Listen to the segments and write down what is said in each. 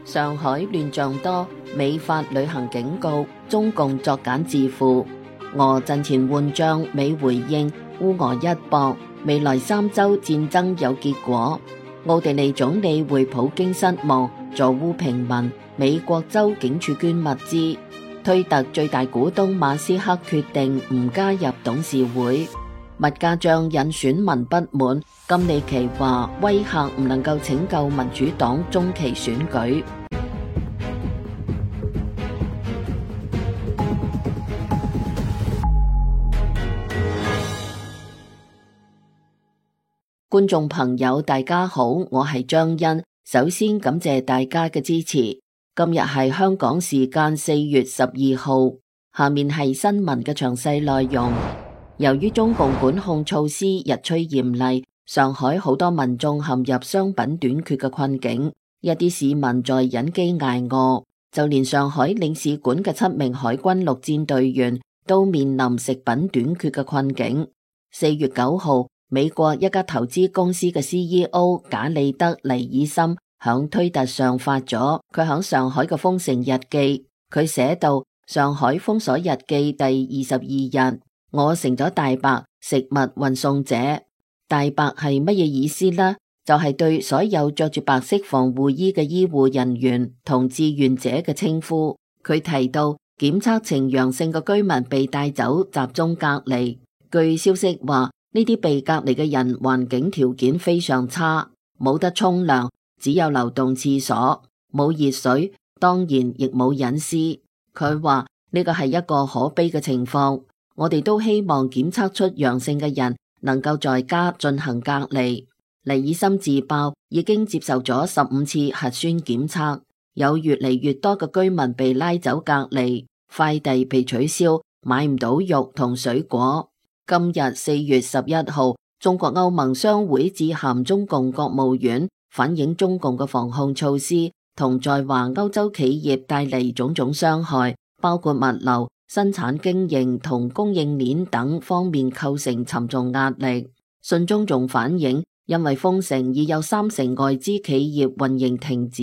上海亂象多，美發旅行警告，中共作繭自負。俄陣前換將，美回應烏俄一搏，未來3週戰爭有結果。奧地利總理會普京失望，助烏平民。美國州警署捐物資。推特最大股東馬斯克決定唔加入董事會。物價漲引選民不滿，金里奇話威嚇唔能夠拯救民主黨中期選舉。觀眾朋友大家好，我係張欣，首先感謝大家嘅支持。今日係香港時間4月12號，下面係新聞嘅詳細內容。由於中共管控措施日趨嚴厲，上海好多民眾陷入商品短缺嘅困境，一啲市民在忍飢挨餓，就連上海領事館嘅7名海軍陸戰隊員都面臨食品短缺嘅困境。4月9號，美國一家投資公司嘅 CEO 賈里德尼爾森響推特上發咗佢響上海嘅封城日記，佢寫到：上海封鎖日記第22日。我成咗大白食物運送者。大白係乜嘢意思呢？就係對所有着住白色防護衣嘅醫護人員同志願者嘅稱呼。佢提到檢測呈陽性嘅居民被帶走集中隔離。據消息話，呢啲被隔離嘅人環境條件非常差，冇得沖涼，只有流動廁所，冇熱水，當然亦冇隱私。佢話呢個係一個可悲嘅情況。我哋都希望檢測出陽性嘅人能夠在家進行隔離。尼爾森自爆已經接受咗15次核酸檢測，有越嚟越多嘅居民被拉走隔離，快遞被取消，買唔到肉同水果。今日4月11號，中國歐盟商會致函中共國務院，反映中共嘅防控措施同在華歐洲企業帶嚟種種傷害，包括物流、生產經營同供應鏈等方面構成沉重壓力。信中仲反映，因為封城已有30%外資企業運營停止，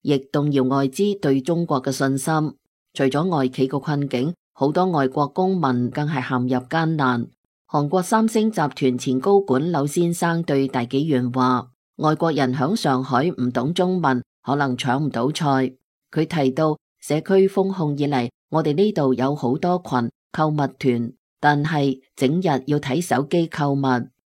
亦動搖外資對中國嘅信心。除咗外企嘅困境，好多外國公民更係陷入艱難。韓國三星集團前高管柳先生對大紀元話：外國人響上海唔懂中文，可能搶唔到菜。佢提到社區封控以嚟，我哋呢度有好多群購物團，但係整日要睇手機購物。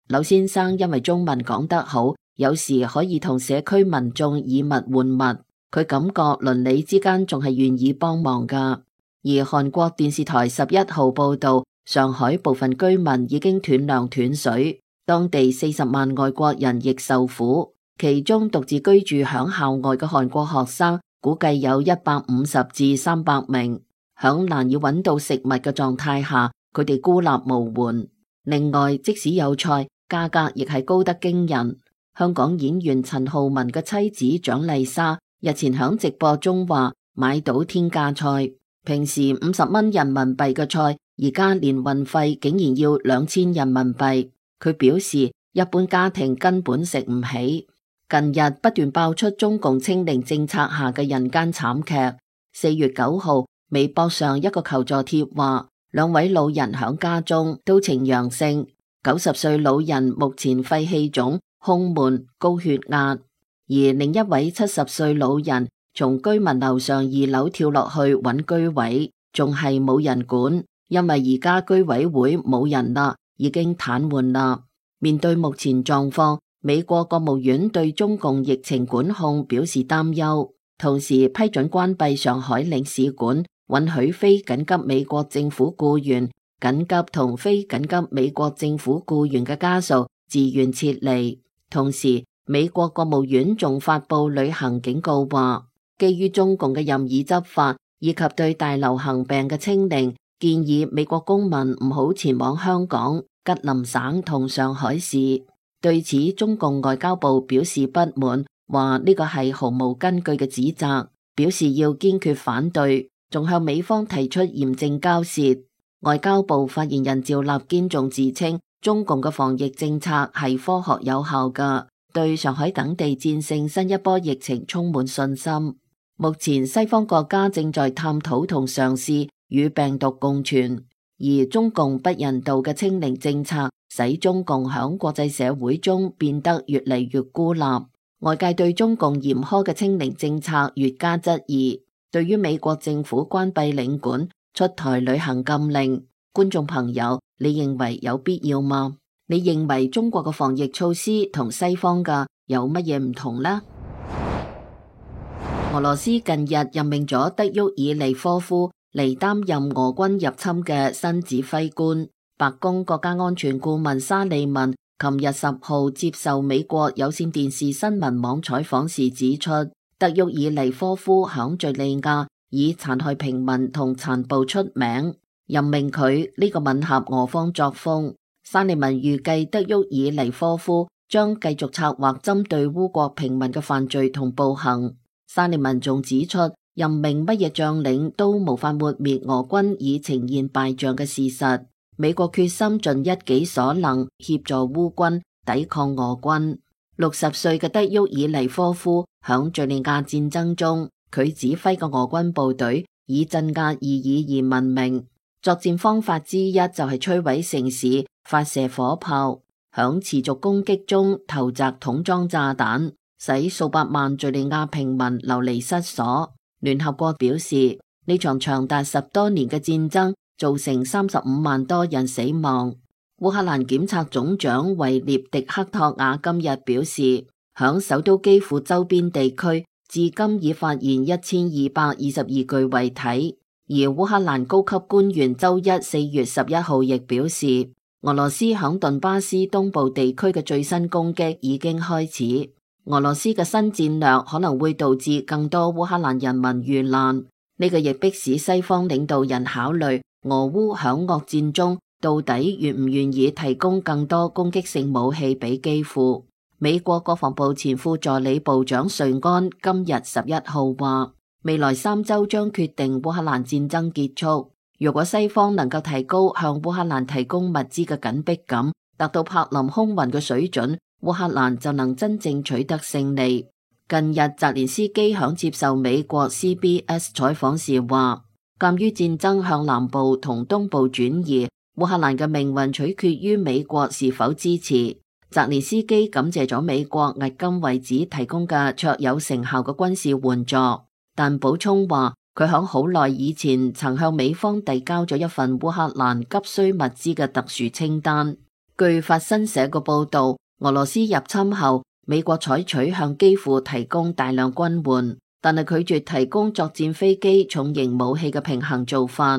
柳先生因為中文講得好，有時可以同社區民眾以物換物，佢感覺鄰里之間仲係願意幫忙噶。而韓國電視台11號報道，上海部分居民已經斷糧斷水，當地40萬外國人亦受苦，其中獨自居住響校外嘅韓國學生估計有150至300名。響難以揾到食物嘅狀態下，佢哋孤立無援。另外，即使有菜，價格亦係高得驚人。香港演員陳浩民嘅妻子蔣麗莎日前響直播中話買到天價菜，平時50蚊人民幣嘅菜，而家連運費竟然要2000人民幣。佢表示，一般家庭根本食唔起。近日不斷爆出中共清零政策下嘅人間慘劇。4月9號，微博上一個求助帖話，2位老人響家中都呈陽性，90歲老人目前肺氣腫、胸悶、高血壓，而另一位70歲老人從居民樓上2樓跳落去揾居位，仲係冇人管，因為而家居委會冇人啦，已經癱瘓啦。面對目前狀況，美國國務院對中共疫情管控表示擔憂，同時批准關閉上海領事館，允許非緊急美國政府僱員、緊急同非緊急美國政府僱員嘅家屬自願撤離。同時，美國國務院仲發布旅行警告話，基於中共嘅任意執法以及對大流行病嘅清零，建議美國公民唔好前往香港、吉林省同上海市。對此，中共外交部表示不滿，話呢個係毫無根據嘅指責，表示要堅決反對，仲向美方提出嚴正交涉。外交部發言人趙立堅仲自稱，中共嘅防疫政策係科學有效㗎，對上海等地戰勝新一波疫情充滿信心。目前西方國家正在探討同嘗試與病毒共存，而中共不人道嘅清零政策使中共響國際社會中變得越嚟越孤立。外界對中共嚴苛嘅清零政策越加質疑。對於美國政府關閉領館、出台旅行禁令，觀眾朋友，你認為有必要嗎？你認為中國嘅防疫措施同西方嘅有乜嘢唔同呢？俄羅斯近日任命咗德沃爾尼科夫嚟擔任俄軍入侵嘅新指揮官。白宮國家安全顧問沙利文琴日10號接受美國有線電視新聞網採訪時指出，德沃爾尼科夫響敘利亞以殘害平民同殘暴出名，任命佢呢個吻合俄方作風。沙利文預計德沃爾尼科夫將繼續策劃針對烏國平民嘅犯罪同暴行。沙利文仲指出，任命乜嘢將領都無法抹滅俄軍已呈現敗仗嘅事實。美國決心盡一己所能協助烏軍抵抗俄軍。60歲嘅德沃爾尼科夫響敘利亞戰爭中，佢指揮嘅俄軍部隊以鎮壓異議而聞名。作戰方法之一就係摧毀城市、發射火炮，響持續攻擊中投擲桶裝炸彈，使數百萬敘利亞平民流離失所。聯合國表示，呢場長達10多年嘅戰爭造成35萬多人死亡。烏克蘭檢察總長維涅迪克托瓦今日表示，響首都基輔周邊地區至今已發現1222具遺體。而烏克蘭高級官員周一4月11號亦表示，俄羅斯響頓巴斯東部地區嘅最新攻擊已經開始。俄羅斯嘅新戰略可能會導致更多烏克蘭人民遇難，呢個亦迫使西方領導人考慮俄烏響惡戰中到底願唔願意提供更多攻擊性武器俾基輔。美國國防部前副助理部長瑞安今日11號話，未來3週將決定烏克蘭戰爭結束。如果西方能夠提高向烏克蘭提供物資嘅緊迫感，達到柏林空運嘅水準，烏克蘭就能真正取得勝利。近日，澤連斯基響接受美國 CBS 採訪時話，鑒於戰爭向南部同東部轉移，烏克蘭嘅命運取決於美國是否支持。澤連斯基感謝咗美國迄今為止提供嘅卓有成效嘅軍事援助，但補充話佢響好耐以前曾向美方遞交咗一份烏克蘭急需物資嘅特殊清單。據法新社嘅報道，俄羅斯入侵後，美國採取向基輔提供大量軍援，但係拒絕提供作戰飛機、重型武器嘅平衡做法。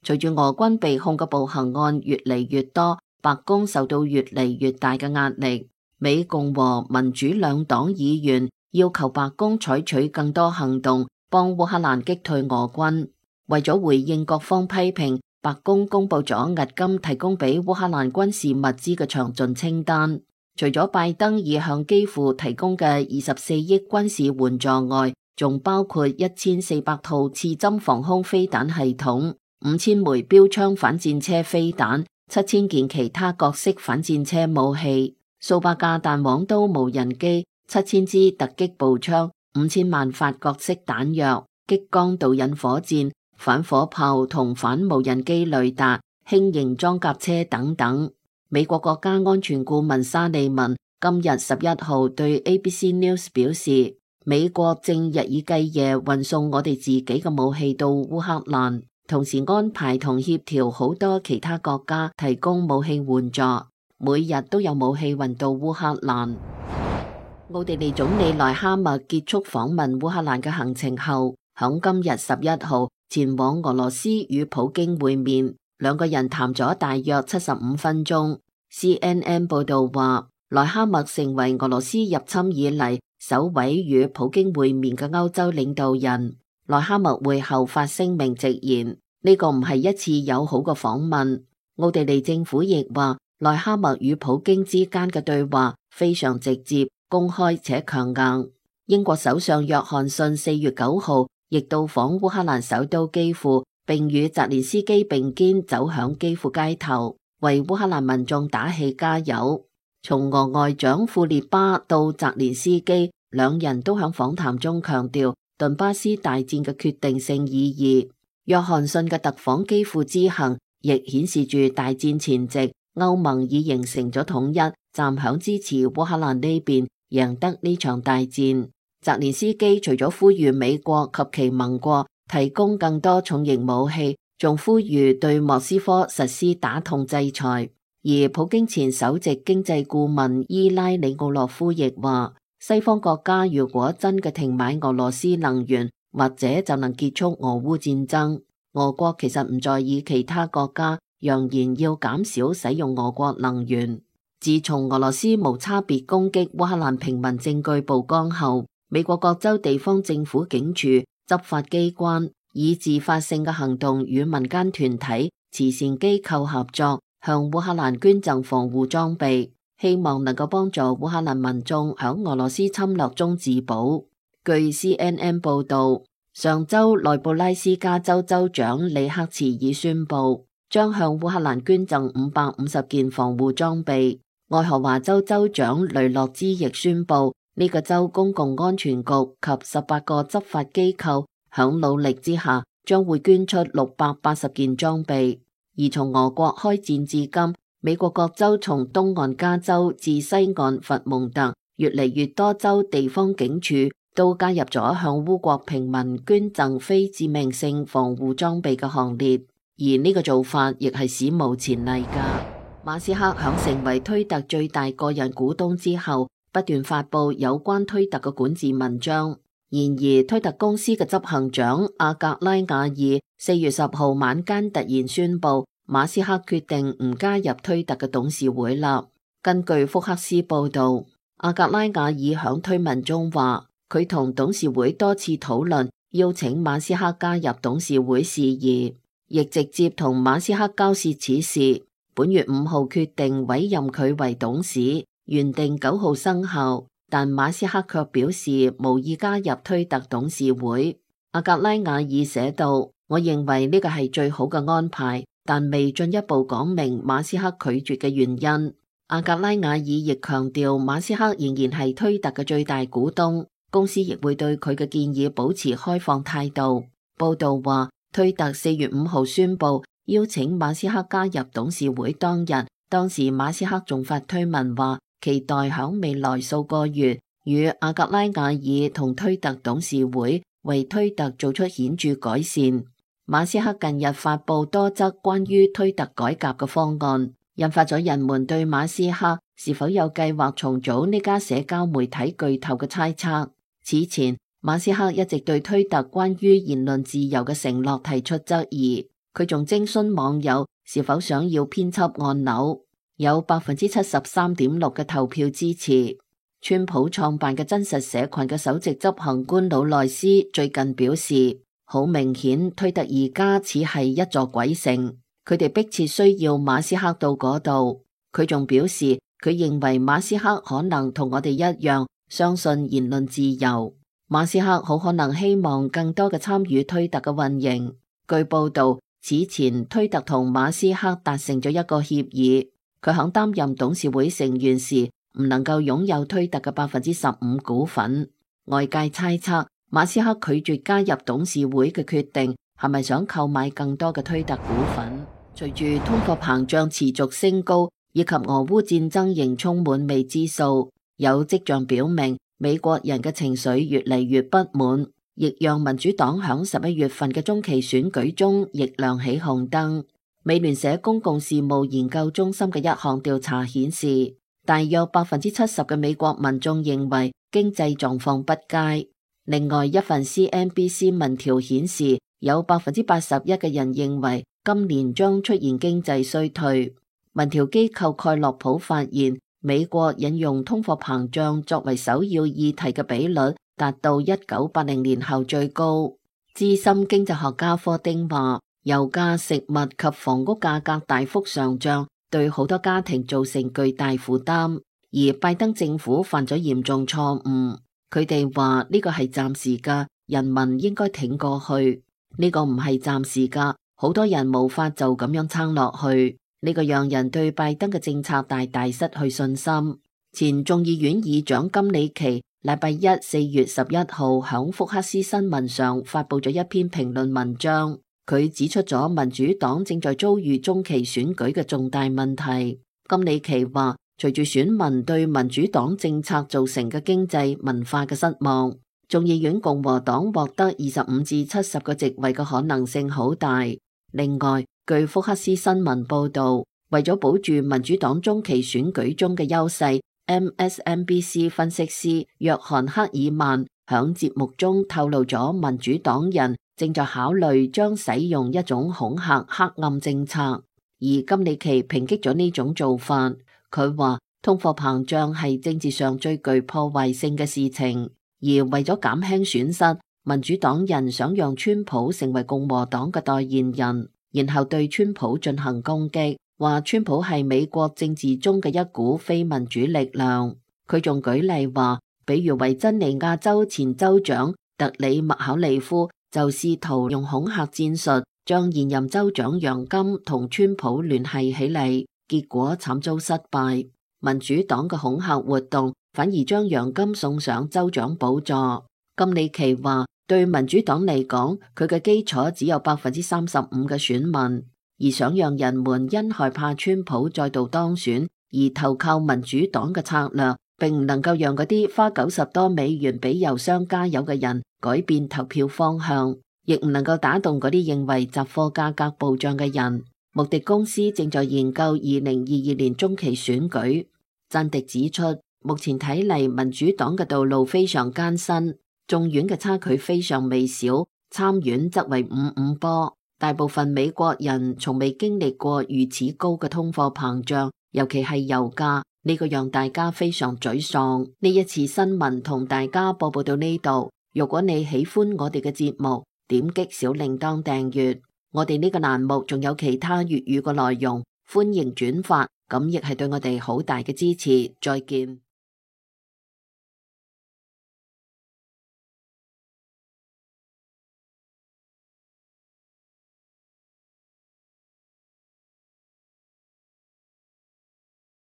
隨住俄軍被控嘅暴行案越嚟越多，白宮受到越嚟越大嘅壓力。美共和民主兩黨議員要求白宮採取更多行動，幫烏克蘭擊退俄軍。為咗回應各方批評，白宮公布咗迄今提供俾烏克蘭軍事物資嘅詳盡清單。除咗拜登已向基輔提供嘅24億軍事援助外，仲包括1400套刺針防空飛彈系統、5000枚標槍反戰車飛彈、7000件其他各式反戰車武器、數百架彈簧刀無人機、7000支突擊步槍、5000萬發各式彈藥、激光導引火箭、反火炮同反無人機雷達、輕型裝甲車等等。美國國家安全顧問沙利文今日11號對 ABC News 表示，美國正日以繼夜運送我哋自己嘅武器到烏克蘭，同時安排同協調好多其他國家提供武器援助，每日都有武器運到烏克蘭。奧地利總理內哈默結束訪問烏克蘭嘅行程後，響今日11號前往俄羅斯與普京會面。兩個人談咗大約75分鐘。CNN 報道話，內哈默成為俄羅斯入侵以嚟首位與普京會面嘅歐洲領導人。內哈默會後發聲明直言，呢個唔係一次友好嘅訪問。奧地利政府亦話，內哈默與普京之間嘅對話非常直接、公開且強硬。英國首相約翰遜4月9號亦到訪烏克蘭首都基輔，並與澤連斯基並肩走響基輔街頭，為烏克蘭民眾打氣加油。從俄外長庫列巴到澤連斯基，兩人都響訪談中強調頓巴斯大戰嘅決定性意義。約翰遜嘅特訪基輔之行，亦顯示住大戰前夕，歐盟已形成咗統一，站響支持烏克蘭呢邊，贏得呢場大戰。澤連斯基除咗呼籲美國及其盟國提供更多重型武器，仲呼籲對莫斯科實施打痛制裁。而普京前首席經濟顧問伊拉里奧洛夫亦話，西方國家如果真嘅停買俄羅斯能源，或者就能結束俄烏戰爭。俄國其實唔在意其他國家揚言要減少使用俄國能源。自從俄羅斯無差別攻擊烏克蘭平民證據曝光後，美國各州地方政府警署、執法機關以自發性嘅行動與民間團體、慈善機構合作，向烏克蘭捐贈防護裝備，希望能夠幫助烏克蘭民眾響俄羅斯侵略中自保。據 CNN 報道，上周內布拉斯加州州長里克茨爾宣布，將向烏克蘭捐贈550件防護裝備。愛荷華州州長雷諾茲亦宣布，呢個州公共安全局及18個執法機構響努力之下，將會捐出680件裝備。而從俄國開戰至今，美國各州從東岸加州至西岸佛蒙特，越嚟越多州地方警署都加入咗向烏國平民捐贈非致命性防護裝備嘅行列，而呢個做法亦係史無前例噶。馬斯克響成為推特最大個人股東之後，不斷發佈有關推特嘅管治文章。然而，推特公司嘅執行長阿格拉瓦爾4月10號晚間突然宣布，馬斯克決定唔加入推特嘅董事會啦。根據福克斯報道，阿格拉瓦爾響推文中話，佢同董事會多次討論邀請馬斯克加入董事會事宜，亦直接同馬斯克交涉此事。本月5號決定委任佢為董事，原定9號生效，但馬斯克卻表示無意加入推特董事會。阿格拉瓦爾寫道，我認為呢個係最好嘅安排，但未進一步講明馬斯克拒絕嘅原因。阿格拉瓦爾亦強調，馬斯克仍然係推特嘅最大股東，公司亦會對佢嘅建議保持開放態度。報道話，推特4月5號宣布邀請馬斯克加入董事會當日，當時馬斯克仲發推文話，期待響未來數個月與阿格拉瓦爾同推特董事會為推特做出顯著改善。馬斯克近日發佈多則關於推特改革嘅方案，引發咗人們對馬斯克是否有計劃重組呢家社交媒體巨頭嘅猜測。此前，馬斯克一直對推特關於言論自由嘅承諾提出質疑。佢仲徵詢網友是否想要編輯按鈕，有73.6%嘅投票支持。川普創辦嘅真實社群嘅首席執行官魯內斯最近表示，好明顯推特而家似係一座鬼城，佢哋迫切需要馬斯克到嗰度。佢仲表示，佢認為馬斯克可能同我哋一樣相信言論自由。馬斯克好可能希望更多嘅參與推特嘅運營。據報道，此前推特同馬斯克達成咗一個協議，佢響擔任董事會成員時唔能夠擁有推特嘅15%股份。外界猜測馬斯克拒絕加入董事會嘅決定係咪想購買更多嘅推特股份？隨住通貨膨脹持續升高，以及俄烏戰爭仍充滿未知數，有跡象表明美國人嘅情緒越嚟越不滿，亦讓民主黨響11月份嘅中期選舉中亦亮起紅燈。美聯社公共事務研究中心嘅一項調查顯示，大約70%嘅美國民眾認為經濟狀況不佳。另外一份 CNBC 民調顯示，有81%嘅人認為今年將出現經濟衰退。民調機構蓋洛普發現，美國引用通貨膨脹作為首要議題嘅比率達到1980年後最高。資深經濟學家科丁話，油價、食物及房屋價格大幅上漲，對好多家庭造成巨大負擔，而拜登政府犯咗嚴重錯誤。佢哋話呢個係暫時㗎，人民應該挺過去。呢個唔係暫時㗎，好多人無法就咁樣撐落去。呢個讓人對拜登嘅政策大大失去信心。前眾議院議長金里奇禮拜一4月11號響福克斯新聞上發佈咗一篇評論文章，佢指出咗民主黨正在遭遇中期選舉嘅重大問題。金里奇話，隨住選民對民主黨政策造成嘅經濟文化嘅失望，眾議院共和黨獲得25至70個席位嘅可能性好大。另外，據福克斯新聞報道，為咗保住民主黨中期選舉中嘅優勢，MSNBC 分析師約翰克爾曼響節目中透露咗民主黨人正在考慮將使用一種恐嚇黑暗政策，而金里奇抨擊咗呢種做法。佢話通貨膨脹係政治上最具破壞性嘅事情，而為咗減輕損失，民主黨人想讓川普成為共和黨嘅代言人，然後對川普進行攻擊，話川普係美國政治中嘅一股非民主力量。佢仲舉例話，比如維珍尼亞州前州長特里麥考利夫就試圖用恐嚇戰術將現任州長楊金同川普聯繫起嚟，結果慘遭失敗。民主黨嘅恐嚇活動反而將楊金送上州長寶座。金里奇話，對民主黨嚟講，佢嘅基礎只有35%嘅選民，而想讓人們因害怕川普再度當選而投靠民主黨嘅策略，並唔能夠讓嗰啲花90多美元俾郵箱加油嘅人改變投票方向，亦唔能夠打動嗰啲認為雜貨價格暴漲嘅人。穆迪公司正在研究2022年中期選舉。贊迪指出，目前睇嚟民主黨嘅道路非常艱辛，眾院嘅差距非常微小，參院則為5-5波。大部分美國人從未經歷過如此高嘅通貨膨脹，尤其係油價，呢個讓大家非常沮喪。呢一次新聞同大家播報到呢度。如果你喜歡我哋嘅節目，點擊小鈴鐺訂閱。我哋呢個欄目仲有其他粵語嘅內容，歡迎轉發，咁亦係對我哋好大嘅支持。再見。